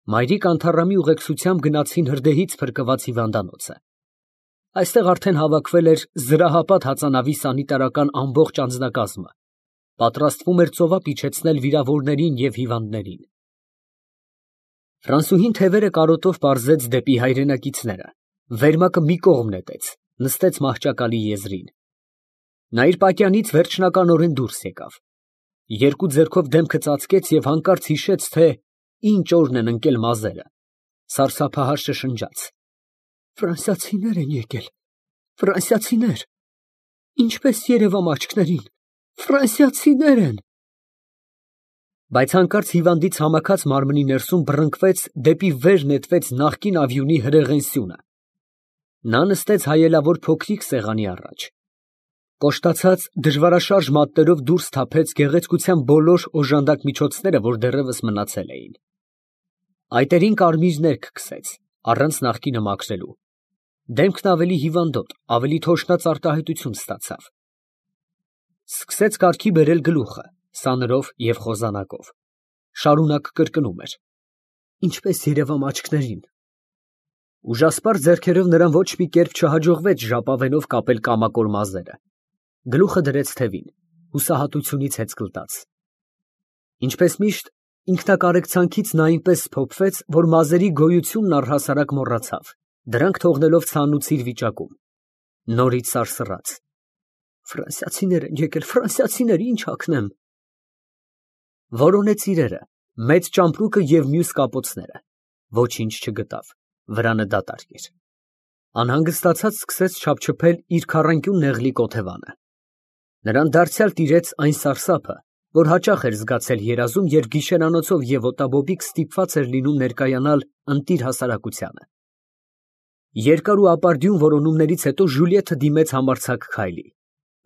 Մայրիկ Անթառամի ուղեկցությամբ գնացին հրդեհից փրկված հիվանդանոցը։ Այստեղ արդեն հավաքվել էր զրահապատ հածանավի սանիտարական ամբողջ անձնակազմը, պատրաստվում էր ծովափ իջեցնել վիրավորներին և հիվանդներին։ Ֆրանսուհին թևերը կարոտով պարզեց դեպի հայրենակիցները, վերմակը մի կողմ նետեց, նստեց մահճակալի եզրին։ Նա իր պատյանից վերջնականորեն դուրս եկավ, երկու ձեռքով դեմքը ծածկեց և հանկարծ հիշեց, թե ինչ օրն են ընկել մազերը, սարսափահար շշնջաց. «Ֆրանսիացիներ են եկել, ֆրանսիացիներ, ինչպես երևամ աչքներին, ֆրանսիացիներ են»։ Բայց հանկարծ հիվանդից համակած մարմնի ներսում բռնկվեց, դեպի վեր նետվեց նախկին ավյունի հրեղեն սյունը։ Նա նստեց հայելավոր փոքրիկ սեղանի առաջ, կոշտացած դժվարաշարժ մատներով դուրս թափեց գեղեցկության բոլոր օժանդակ միջոցները, որ դեռևս մնացել էին։ Այտերին կարմիրներ քքսեց, առանց նախկինը մաքրելու։ Դեմքն ավելի հիվանդոտ, ավելի թոշնաց արտահայտություն ստացավ։ Սկսեց կարգի բերել գլուխը, սանրով և խոզանակով։ Շարունակ կրկնում էր. «Ինչպես երևամ աչքներին»։ Ուժասպառ ձեռքերով նրան ոչ մի կերպ չհաջողվեց ժապավենով կապել կամակոր մազերը։ Գլուխը դրեց թևին, հուսահատությունից հեծկլտած։ Ինչպես միշտ, ինքնակարեկցանքից նա այնպես սփոփվեց, որ մազերի գոյությունն առհասարակ մոռացավ, դրանք թողնելով ցանուցիր վիճակում։ Նորից սարսռաց. «Ֆրանսիացիներ են եկել, ֆրանսիացիներ, ինչ հագնեմ»։ Որոնեց իրերը, մեծ ճամպրուկը և մյուս կապոցները, ոչինչ չգտավ, վրանը դատարկ էր։ Անհանգստացած սկսեց չափչփել իր քառանկյուն նեղլիկ օթևանը։ Նրան դարձյալ տիրեց այն սարսափը, որ հաճախ էր զգացել երազում, երբ գիշերանոցով և օտաբոբիկ ստիպված էր լինում ներկայանալ ընտիր հասարակությանը։ Երկար ու ապարդյուն որոնումներից հետո Ժուլիեթը դիմեց համարձակ քայլի,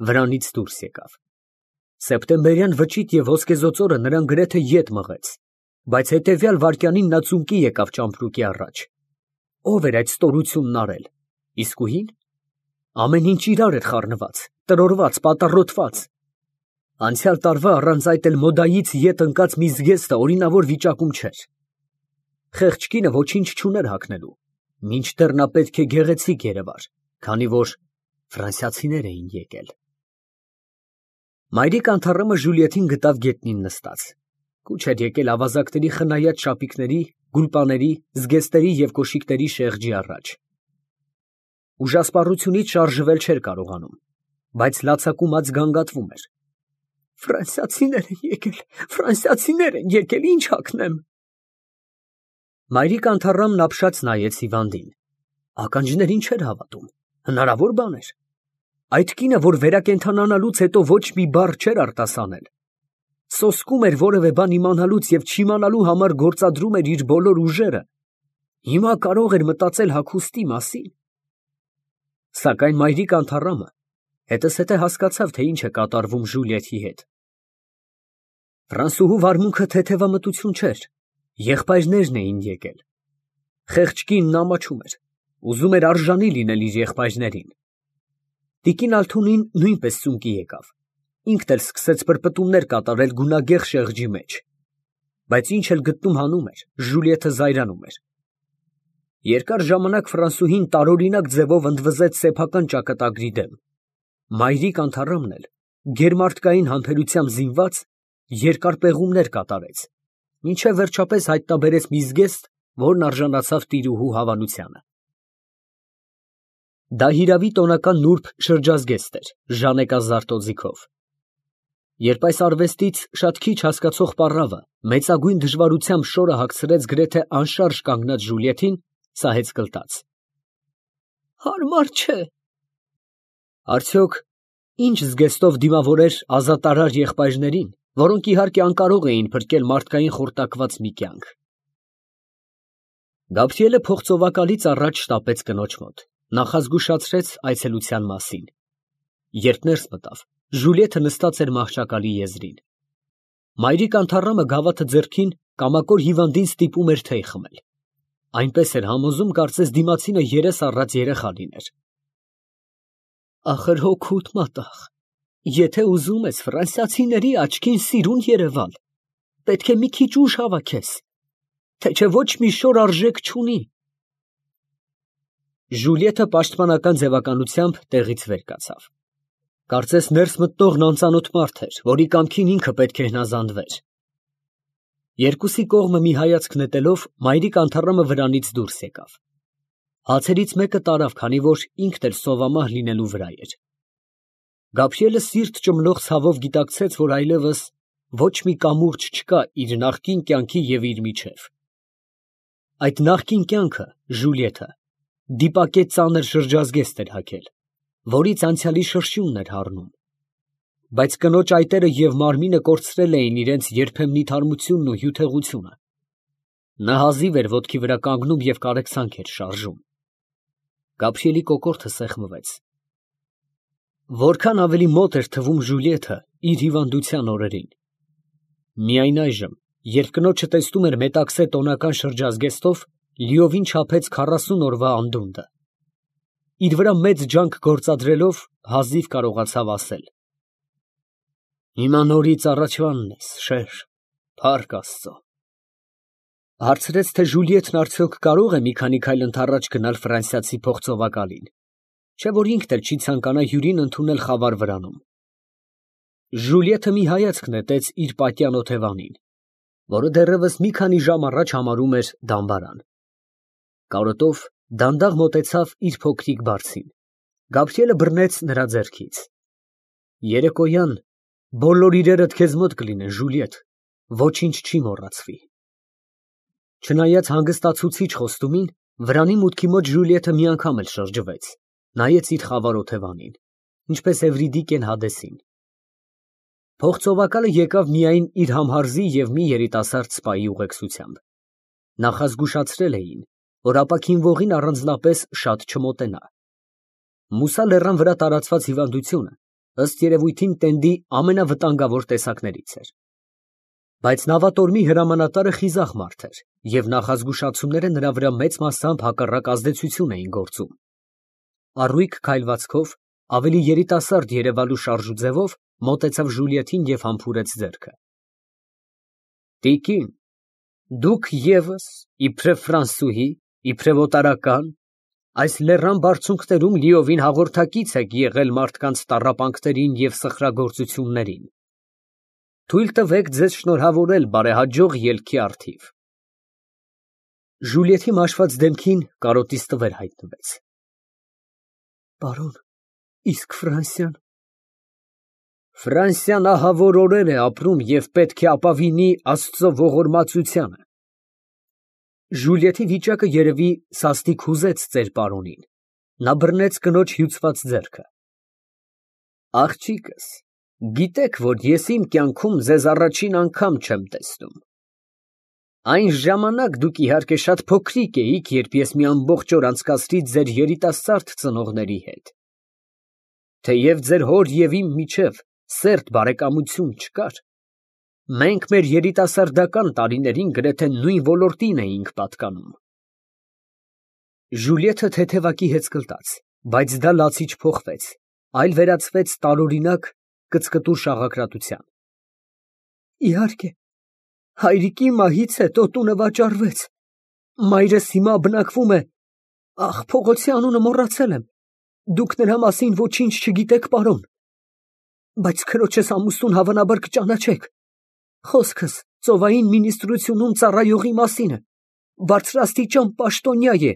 վրանից դուրս եկավ։ Սեպտեմբերյան վճիտ և ոսկեզօծորը նրան գրեթե ետ մղեց, բայց հետևյալ վայրկյանին նա ծունկի եկավ ճամպրուկի առաջ։ Ո՞վ էր այդ ստորությունն արել, իսկույն։ Ամեն ինչ իրար էր խառնված, տրորված, պատառոտված։ Անցյալ տարվա առանց այդ էլ մոդայից ետ ընկած մի զգեստը օրինավոր վիճակում չէր։ Խեղճ կինը ոչինչ չուներ հագնելու, մինչդեռ նա պետք է գեղեցիկ երևար, քանի որ ֆրանսիացիներ էին եկել։ Մայրիկ Անթառամը Ժուլիեթին գտավ գետնին նստած։ Կուչ էր եկել ավազակների խնայած շապիկների, գուլպաների, զգեստերի և կոշիկների շեղջի առաջ։ Ուժասպառությունից շարժվել չէր կարողանում, բայց լացակումած գանգատվում էր։ «Ֆրանսիացիներ են եկել, ֆրանսիացիներ են եկել, ինչ հագնեմ»։ Մայրիկ Անթառամն ապշած նայեց հիվանդին։ Ականջներին չէր հավատում, հնարավոր բան էր։ Այդ կինը, որ վերակենդանանալուց հետո ոչ մի բառ չէր արտասանել, սոսկում էր որևէ բան իմանալուց և չիմանալու համար գործադրում էր իր բոլոր ուժերը, հիմա կարող էր մտածել հագուստի մասին։ Սակայն մայրիկ Անթառամը հետզհետե հասկացավ, թե ինչ է կատարվում Ժուլիեթի հետ։ Ֆրանսուհու վարմունքը թեթևամտություն չէր, եղբայրներն էին եկել։ Խեղճ կինն ամաչում էր, ուզում էր արժանի լինել իր եղբայրներին։ Տիկին Ալթունին նույնպես ծունկի եկավ, ինքն էլ սկսեց պրպտումներ կատարել գունագեղ շեղջի մեջ։ Բայց ինչ էլ գտնում հանում էր, Ժուլիեթը զայրանում էր։ Երկար ժամանակ ֆրանսուհին տարօրինակ ձևով ընդվզեց սեփական ճակատագրի դեմ։ Մայրիկ Անթառամն էլ, գերմարտկային համբերությամբ զինված, երկար պեղումներ կատարեց, մինչև վերջապես հայտնաբերեց մի զգեստ, որն արժանացավ տիրուհու հավանությանը։ Դա հիրավի տոնական նուրբ շրջազգեստ էր, ժանեկազարդ օձիքով։ Երբ այս արվեստից շատ քիչ հասկացող պառավը մեծագույն դժվարությամբ շորը հագցրեց գրեթե անշարժ կանգնած Ժուլիեթին, սա հեծկլտաց։ Հարմար չէ։ Արդյոք ինչ զգեստով դիմավորեր ազատարար եղբայրներին, որոնք իհարկե անկարող էին փրկել մարդկային խորտակված մի կյանք։ Գաբրիելը փողծովակալից առաջ շտապեց կնոջ մոտ, նախազգուշացրեց այցելության մասին։ Երբ ներս մտավ, Ժուլիեթը նստած էր մահճակալի եզրին։ Մայրիկ Անթառամը գավաթը ձեռքին կամակոր հիվանդին ստիպում էր թեյ խմել։ Այնպես էր համոզում, կարծես դիմացինը երես առած երեխա լիներ։ Ախր հոգուդ մատաղ, եթե ուզում ես ֆրանսիացիների աչքին սիրուն երևալ, պետք է մի քիչ ուժ հավաքես։ թե չէ ոչ մի շոր արժեք չունի։ Ժուլիետը պաշտպանական ձևականությամբ տեղից վեր կացավ։ Կարծես ներս մտնողն անծանոթ մարդ էր, որի կամքին ինքը պետք է հնազանդվեր։ Երկուսի կողմը մի հայացք նետելով, մայրիկ անթառամը վրանից դուրս եկավ։ Հացերից մեկը տարավ, քանի որ ինքն էլ սովամահ լինելու վրա էր։ Գաբրիելը սիրտ ճմլող ցավով գիտակցեց, որ այլևս ոչ մի կամուրջ չկա իր նախկին կյանքի և իր միջև։ Այդ նախկին կյանքը, Ժուլիետը, դիպակեց ծանր շրջազգեստ էր հագել, որից անցյալի շրշյունն էր հառնում։ Բայց կնոջ այտերը և մարմինը կորցրել էին իրենց երբեմնի թարմությունն ու հյութեղությունը։ Նա հազիվ էր ոտքի վրա կանգնում և կարեկցանք էր շարժում։ Գաբրիելի կոկորդը սեղմվեց։ Որքան ավելի մոտ էր թվում Ժուլիետը իր հիվանդության օրերին։ Միայն այժմ, երբ կնոջը տեսնում էր մետաքսե տոնական շրջազգեստով, լիովին չափեց 40 օրվա անդունդը։ Իր վրա մեծ ջանք գործադրելով, հազիվ կարողացավ ասել. «Հիմա նորից առաջվանն ես, շեր, փառք Աստծո»։ Հարցրեց, թե Ժուլիետն արդյոք կարող է մի քանի քայլ ընդառաջ գնալ ֆրանսիացի փողծովակալին, չէ՞ որ ինքն էլ չի ցանկանա հյուրին ընդունել խավար վրանում։ Ժուլիետը մի հայացք նետեց իր պատյան օթևանին, որը դեռևս մի քանի ժամ առաջ համարում էր դամբարան։ Կարոտով դանդաղ մոտեցավ իր փոքրիկ բարձին։ Գաբրիելը բռնեց նրա ձեռքից։ Երեկոյան բոլոր իրերդ քեզ մոտ կլինեն, Ժուլիետ, ոչինչ չի մոռացվի։ Չնայած հանգստացուցիչ խոստումին, վրանի մուտքի մոտ Ժուլիետը մի անգամ էլ շրջվեց, նայեց իր խավար օթևանին, ինչպես Էվրիդիկեն Հադեսին։ Փողծովակալը եկավ միայն իր համհարզի և մի երիտասարդ սպայի ուղեկցությամբ։ Նախազգուշացրել էին, որ ապաքինվողին առանձնապես շատ չմոտենա։ Մուսա լեռան վրա տարածված հիվանդությունը, ըստ երևույթին, տենդի ամենավտանգավոր տեսակներից էր։ Բայց նավատորմի հրամանատարը խիզախ մարդ էր, և նախազգուշացումները նրա վրա մեծ մասամբ հակառակ ազդեցություն էին գործում։ Առույգ քայլվածքով, ավելի երիտասարդ երևալու շարժու ձևով մոտեցավ Ժուլիետին և համբուրեց ձեռքը։ Տիկին, դուք ևս, իբրև ֆրանսուհի, իբրև օտարական, այս լեռան բարձունքներում լիովին հաղորդակից եք եղել մարդկանց տառապանքներին և սխրագործություններին։ Թույլ տվեք ձեզ շնորհավորել բարեհաջող ելքի առթիվ։ Ժուլիետի մաշված դեմքին կարոտից տվեր հայտնվեց։ Պարոն, իսկ Ֆրանսիան։ Ֆրանսիան ահավոր օրեր է ապրում և պետք է ապավինի Աստծո ողորմածությանը։ Ժուլիետի վիճակը երևի սաստիկ հուզեց ծեր պարոնին։ Նա բռնեց կնոջ հյուծված ձեռքը։ Աղջիկս, գիտեք, որ ես իմ կյանքում ձեզ առաջին անգամ չեմ տեսնում։ Այն ժամանակ դուք իհարկե շատ փոքրիկ էիք, երբ ես մի ամբողջ օր անցկացրի ձեր երիտասարդ ծնողների հետ։ Թեև ձեր հոր և իմ միջև սերտ բարեկամություն չկար, մենք մեր երիտասարդական տարիներին գրեթե նույն ոլորտին էինք պատկանում։ Ժուլիետը թեթևակի հեծկլտաց, բայց դա լացի չփոխվեց, այլ վերածվեց տարօրինակ կծկտուր շաղակրատության։ Իհարկե, հայրիկի մահից հետո տունը վաճառվեց։ Մայրս հիմա բնակվում է… Ախ, փողոցի անունը մոռացել եմ։ Դուք նրա մասին ոչինչ չգիտեք, պարոն։ Բայց քրոջս ամուսնուն հավանաբար կճանաչեք։ Խոսքս ծովային մինիստրությունում ծառայողի մասին է։ Բարձրաստիճան պաշտոնյա է։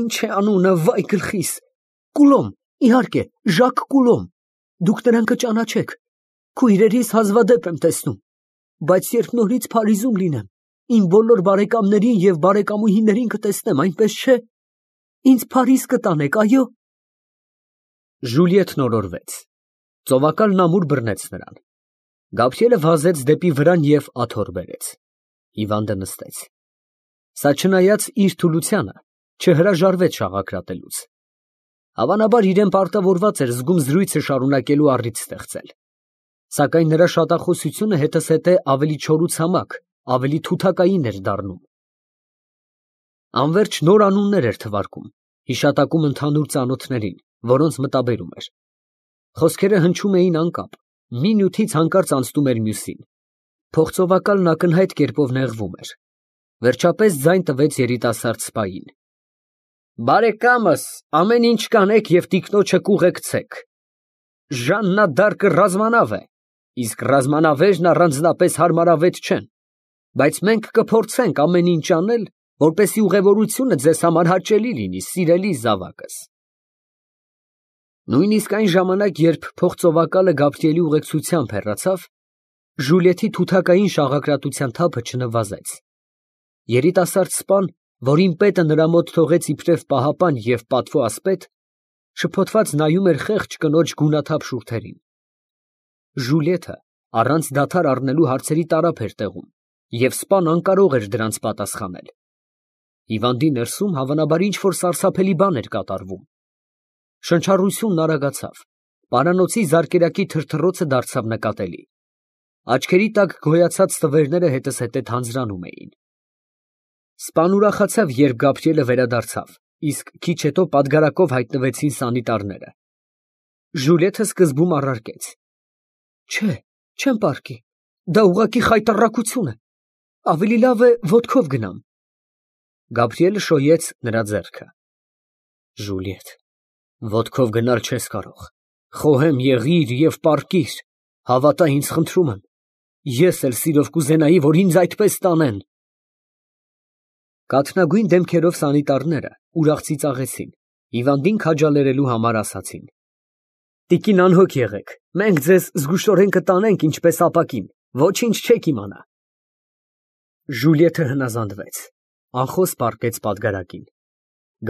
Ինչ է անունը, վայ գլխիս։ Կուլոմ, իհարկե, Ժակ Կուլոմ։ Դուք նրան կճանաչեք։ Քույրերիս հազվադեպ եմ տեսնում։ Բայց երբ նորից Փարիզում լինեմ, իմ բոլոր բարեկամներին և բարեկամուհիներին կտեսնեմ, այնպես չէ։ Ինձ Փարիզ կտանեք, այո։ Ժուլիետն օրորվեց։ Ծովակալն ամուր բռնեց նրան։ Գաբրիելը վազեց դեպի վրան և աթոռ բերեց։ Հիվանդը նստեց։ Սա չնայած իր թուլությանը, չհրաժարվեց շաղակրատելուց։ Հավանաբար իրեն պարտավորված էր զգում զրույցը շարունակելու առիթ ստեղծել։ Սակայն նրա շատախոսությունը հետզհետե ավելի չորուցամակ, ավելի թութակային էր դառնում։ Անվերջ նոր անուններ էր թվարկում, հիշատակում ընդհանուր ծանոթներին, որոնց մտաբերում էր։ Խոսքերը հնչում էին անկապ, մի նյութից հանկարծ անցնում էր մյուսին։ Փողծովակալն ակնհայտ կերպով նեղվում էր։ Վերջապես ձայն տվեց երիտասարդ սպային. Բարեկամս, ամեն ինչ կանեք և տիկնոջը կուղեկցեք։ Ժաննա դարկը ռազմանավ է, իսկ ռազմանավերն առանձնապես հարմարավետ չեն, բայց մենք կփորձենք ամեն ինչ անել, որպեսզի ուղևորությունը ձեզ համար հաճելի լինի, սիրելի զավակս։ Նույնիսկ այն ժամանակ, երբ փողծովակալը Գաբրիելի ուղեկցությամբ հեռացավ, Ժուլիետի թութակային շաղակրատության թափը չնվազեց։ Երիտասարդ սպան, որին պետը նրա մոտ թողեց իբրև պահապան և պատվո ասպետ, շփոթված նայում էր խեղճ կնոջ գունաթափ շուրթերին։ Ժուլիետը առանց դադար առնելու հարցերի տարափ էր տեղում, և սպան անկարող էր դրանց պատասխանել։ Հիվանդի ներսում հավանաբար ինչ-որ սարսափելի բան էր կատարվում։ Շնչառությունն արագացավ, պարանոցի զարկերակի թրթռոցը դարձավ նկատելի։ Աչքերի տակ գոյացած տվերները հետզհետե թանձրանում էին։ Սպան ուրախացավ, երբ Գաբրիելը վերադարձավ, իսկ քիչ հետո պատգարակով հայտնվեցին սանիտարները։ Ժուլիետը սկզբում առարկեց. Չէ, չեմ պառկի, դա ուղղակի խայտառակություն է, ավելի լավ է ոտքով գնամ։ Գաբրիելը շոյեց նրա ձեռքը։ Ժուլիետ, ոտքով գնալ չես կարող, խոհեմ եղիր և պառկիր, հավատա ինձ, խնդրում եմ, ես էլ սիրով կուզենայի, որ ինձ այդպես տանեն։ Կաթնագույն դեմքերով սանիտարները ուրախ ծիծաղեցին, հիվանդին քաջալերելու համար ասացին. Տիկին անհոգ եղեք, մենք ձեզ զգուշորեն կտանենք ինչպես ապակին, ոչինչ չեք իմանա։ Ժուլիետը հնազանդվեց, անխոս պառկեց պատգարակին։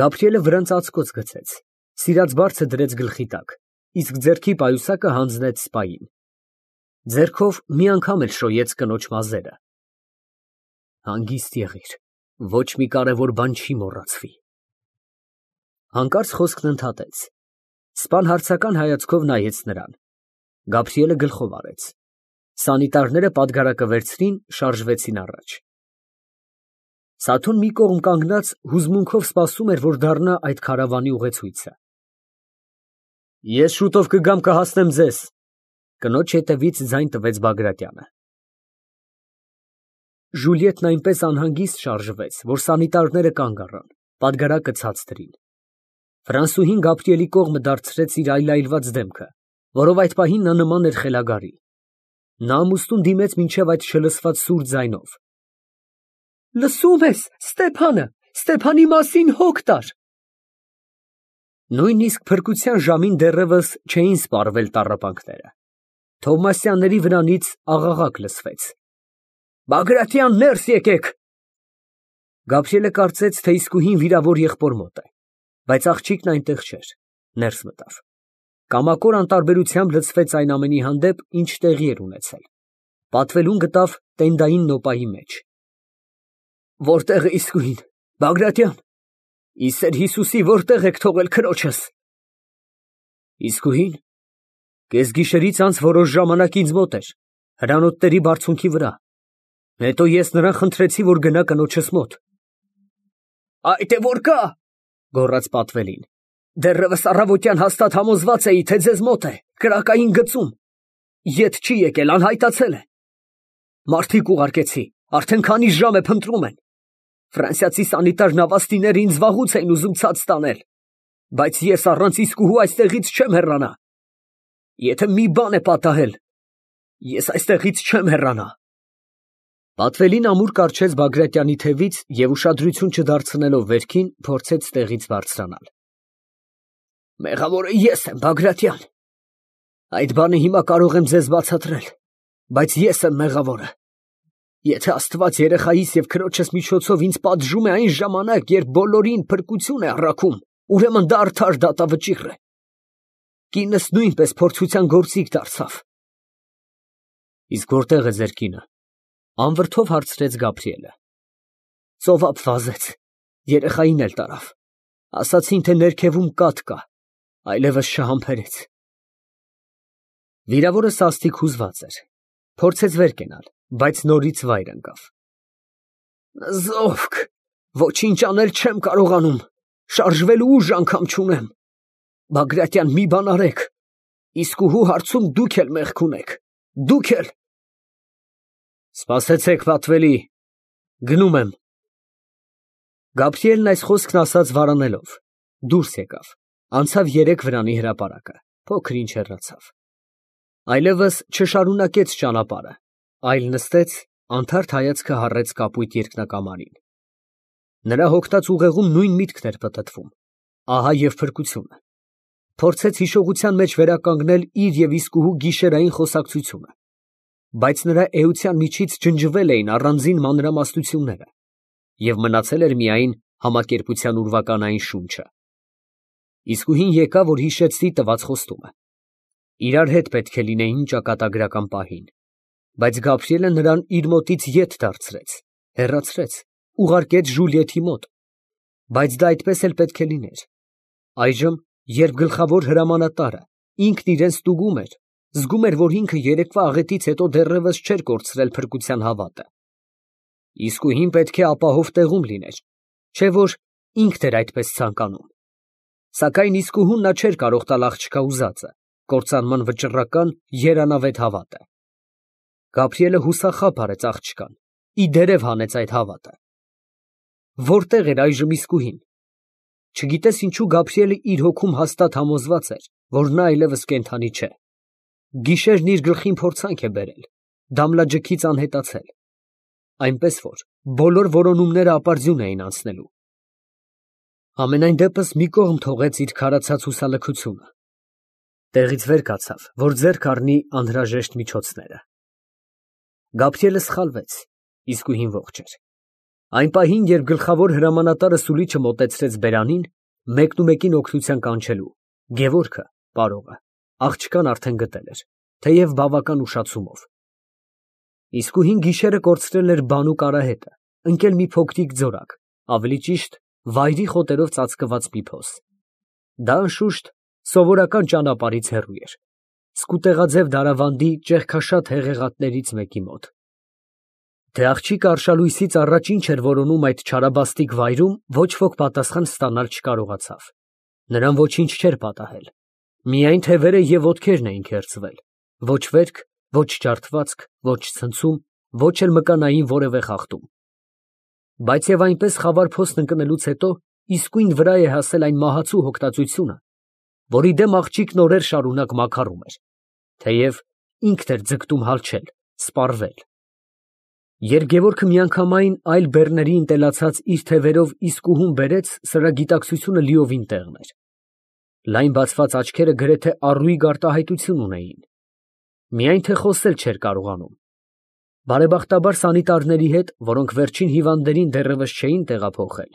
Գաբրիելը վրան ծածկոց գցեց, սիրած բարձը դրեց գլխի տակ, իսկ ձեռքի պայուսակը հանձնեց սպային։ Ձեռքով մի անգամ էլ շոյեց կնոջ մազերը։ Հանգիստ եղիր, ոչ մի կարևոր բան չի մոռացվի։ Հանկարծ խոսքն ընդհատեց։ Սպան հարցական հայացքով նայեց նրան։ Գաբրիելը գլխով արեց։ Սանիտարները պատգարակը վերցրին, շարժվեցին առաջ։ Սաթուն մի կողմ կանգնած հուզմունքով սպասում էր, որ դառնա այդ քարավանի ուղեցույցը։ Ես շուտով կգամ կհասնեմ ձեզ, կնոջ հետևից ձայն տվեց Բագրատյանը։ Ժուլիետն այնպես անհանգիստ շարժվեց, որ սանիտարները կանգ առան, պատգարակը ցած դրին։ Ֆրանսուհին Գաբրիելի կողմը դարձրեց իր այլայլված դեմքը, որով այդ պահին նա նման էր խելագարի։ Նա ամուսնուն դիմեց մինչև այդ չլսված սուր ձայնով. Լսում ես, Ստեփանի մասին հոգ տար։ Նույնիսկ փրկության ժամին դեռևս չէին սպառվել տառապանքները։ Թովմասյանների վրանից աղաղակ լսվեց. Բագրատյան, ներս եկեք։ Գաբրիելը կարծեց, թե իսկույն վիրավոր եղբոր մոտ է, բայց աղջիկն այնտեղ չէր, ներս մտավ։ Կամակոր անտարբերությամբ լցվեց այն ամենի հանդեպ, ինչ տեղի էր ունեցել։ Պատվելուն գտավ տենդային նոպայի մեջ։ Որտե՞ղ է իսկույն, Բագրատյան, ի սեր Հիսուսի, որտե՞ղ եք թողել քրոջս։ Իսկույն, կեսգիշերից անց որոշ ժամանակ ինձ մոտ էր, հրանոթների բարձունքի վրա։ Հետո ես նրան խնդրեցի, որ գնա կնոջս մոտ։ Այդ է որ կա, գոռաց պատվելին։ Դեռևս առավոտյան հաստատ համոզված էի, թե ձեզ մոտ է, կրակային գծում։ Ետ չի եկել, անհայտացել է։ Մարդիկ ուղարկեցի, արդեն քանի ժամ է փնտրում են։ Ֆրանսիացի սանիտար նավաստիները ինձ վաղուց էին ուզում ցած տանել, բայց ես առանց իսկուհու այստեղից չեմ հեռանա։ Եթե մի բան է պատահել, ես այստեղից չեմ հեռանա։ Պատվելին ամուր կառչեց Բագրատյանի թևից և ուշադրություն չդարձնելով վերքին, փորձեց տեղից բարձրանալ։ Մեղավորը ես եմ, Բագրատյան։ Այդ բանը հիմա կարող եմ ձեզ բացատրել, բայց ես եմ մեղավորը։ Եթե Աստված երեխայիս և քրոջս միջոցով ինձ պատժում է այն ժամանակ, երբ բոլորին փրկություն է առաքում, ուրեմն դա արդար դատավճիռ է։ Կինս նույնպես փորձության գործիք դարձավ։ Իսկ որտե՞ղ է ձեր կինը, անվրդով հարցրեց Գաբրիելը։ Ծովափ վազեց, երեխային էլ տարավ։ Ասացին, թե ներքևում կաթ կա, այլևս չհամբերեց։ Վիրավորը սաստիկ հուզված էր, փորձեց վեր կենալ, բայց նորից վայր ընկավ։ Զովք, ոչինչ անել չեմ կարողանում, շարժվելու ուժ անգամ չունեմ։ Բագրատյան, մի բան արեք, իսկուհու հարցում դուք էլ մեղք ունեք, դուք էլ։ Սպասեցեք, պատվելի, գնում եմ, Գաբրիելն այս խոսքն ասաց վարանելով, դուրս եկավ, անցավ 3 վրանի հրապարակը, փոքր ինչ հեռացավ։ Այլևս չշարունակեց ճանապարհը, այլ նստեց, անթարթ հայացքը հառեց կապույտ երկնակամարին։ Նրա հոգնած ուղեղում նույն միտքն էր պտտվում, ահա և փրկությունը։ Փորձեց հիշողության մեջ վերականգնել իր և իսկուհու գիշերային խոսակցությունը, բայց նրա էության միջից ջնջվել էին առանձին մանրամասնությունները, և մնացել էր միայն համակերպության ուրվականային շունչը։ Իսկուհին եկավ, որ հիշեցնի տված խոստումը։ Իրար հետ պետք է լինեին ճակատագրական պահին, բայց Գաբրիելը նրան իր մոտից ետ դարձրեց, հեռացրեց, ուղարկեց Ժուլիեթի մոտ, բայց դա այդպես էլ պետք է լիներ։ Այժմ, երբ գլխավոր հրամանատարը ինքն իրեն ստուգում էր, զգում էր, որ ինքը երեկվա աղետից հետո դեռևս չէր կորցրել փրկության հավատը։ Իսկուհին պետք է ապահով տեղում լիներ, չէ որ ինքն էր այդպես ցանկանում։ Սակայն իսկուհուն նա չէր կարող տալ աղջկա ուզածը, կործանման վճռական երանավետ հավատը։ Գաբրիելը հուսախաբ արեց աղջկան, ի դերև հանեց այդ հավատը։ Որտե՞ղ էր այժմ իսկուհին։ Չգիտես ինչու Գաբրիելը իր հոգում հաստատ համոզված էր, որ նա այլևս կենդանի չէ։ Գիշերն իր գլխին փորձանք է բերել, դամլաջքից անհետացել, այնպես որ բոլոր որոնումները ապարդյուն էին անցնելու։ Համենայն դեպս մի կողմ թողեց իր քարացած հուսալքությունը, տեղից վեր կացավ, որ ձեռք առնի անհրաժեշտ միջոցները։ Գաբրիելը սխալվեց, իսկուհին ողջ էր։ Այն պահին, երբ գլխավոր հրամանատարը սուլիչը մոտեցրեց բերանին, մեկնումեկին օգնության կանչելու, Գևորգը, պարողը, աղջկան արդեն գտել էր, թեև բավական ուշացումով։ Իսկուհին գիշերը կորցրել էր բանուկ արահետը, ընկել մի փոքրիկ ձորակ, ավելի ճիշտ, վայրի խոտերով ծածկված մի փոս։ Դա անշուշտ սովորական ճանապարհից հեռու էր, սկուտեղաձև դարավանդի ճեղքաշատ հեղեղատներից մեկի մոտ։ Թե աղջիկը արշալույսից առաջ ինչ էր որոնում այդ չարաբաստիկ վայրում, ոչ ոք պատասխան ստանալ չկարողացավ։ Նրան ոչինչ չէր պատահել, միայն թևերը և ոտքերն էին քերծվել, ոչ վերք, ոչ ջարդվածք, ոչ ցնցում, ոչ էլ մկանային որևէ խախտում։ Բայց և այնպես խավար փոսն ընկնելուց հետո իսկույն վրա է հասել այն մահացու հոգտածությունը, որի դեմ աղջիկն օրեր շարունակ մաքարում էր, թեև ինքն էր ձգտում հալչել, սպառվել։ Երբ Գևորգը միանգամայն այլ բեռների ընտելացած իր թևերով իսկուհուն բերեց, սրա գիտակցությունը լիովին տեղն էր։ Լայն բացված աչքերը գրեթե առուիկ արտահայտություն ունեին, միայն թե խոսել չէր կարողանում։ Բարեբախտաբար սանիտարների հետ, որոնք վերջին հիվանդներին դեռևս չէին տեղափոխել,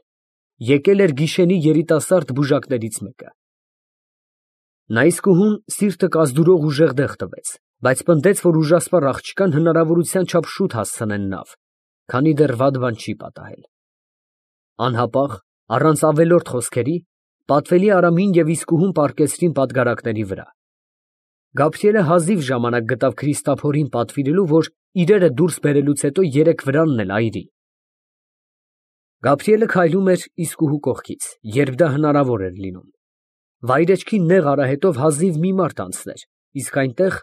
եկել էր գիշենի երիտասարդ բուժակներից մեկը։ Նա իսկուհուն սիրտը կազդուրող ուժեղ դեղ տվեց, բայց պնդեց, որ ուժասպառ աղջկան հնարավորության չափ շուտ հասցնեն նավ, քանի դեռ վատ բան չի պատահել։ Անհապաղ, առանց ավելորդ խոսքերի, պատվելի Արամին և իսկուհուն պառկեցրին պատգարակների վրա։ Գաբրիելը հազիվ ժամանակ գտավ Քրիստափորին պատվիրելու, որ իրերը դուրս բերելուց հետո 3 վրանն էլ այրի։ Գաբրիելը քայլում էր իսկուհու կողքից, երբ դա հնարավոր էր լինում։ Վայրեջքի նեղ արահետով հազիվ մի մարդ անցներ, իսկ այնտեղ,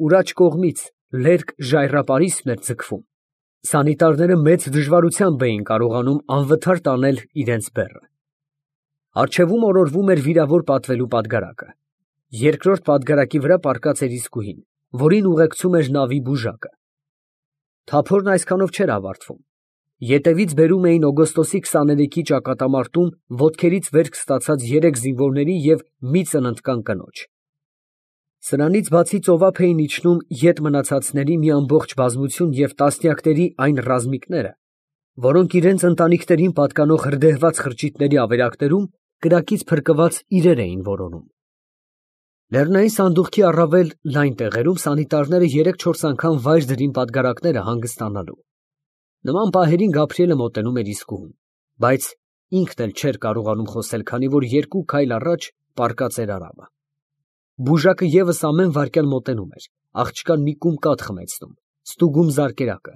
ուր աջ կողմից լերկ ժայռապարիսպն էր ձգվում, սանիտարները մեծ դժվարությամբ էին կարողանում անվթար տանել իրենց բեռը։ Առջևում օրորվում էր վիրավոր պատվելու պատգարակը։ Երկրորդ պատգարակի վրա պառկած էր իսկուհին, որին ուղեկցում էր նավի բուժակը։ Թափորն այսքանով չէր ավարտվում։ Ետևից բերում էին օգոստոսի 23-ի ճակատամարտում ոտքերից վերք ստացած 3 զինվորների և մի ծննդկան կնոջ։ Սրանից բացի ծովափ էին իջնում ետ մնացածների մի ամբողջ բազմություն և տասնյակների այն ռազմիկները, որոնք իրենց ընտանիքներին պատկանող հրդեհված խրճիթների ավերակներում կրակից փրկված իրեր էին որոնում։ Լեռնային սանդուղքի առավել լայն տեղերում սանիտարները 3-4 անգամ վայր դրին պատգարակները հանգստանալու։ Նման պահերին Գաբրիելը մոտենում էր իսկուհուն, բայց ինքն էլ չէր կարողանում խոսել, քանի որ 2 քայլ առաջ պառկած էր Արամը։ Բուժակը ևս ամեն վայրկյան մոտենում էր, աղջկան մի կում կաթ խմեցնում, ստուգում զարկերակը,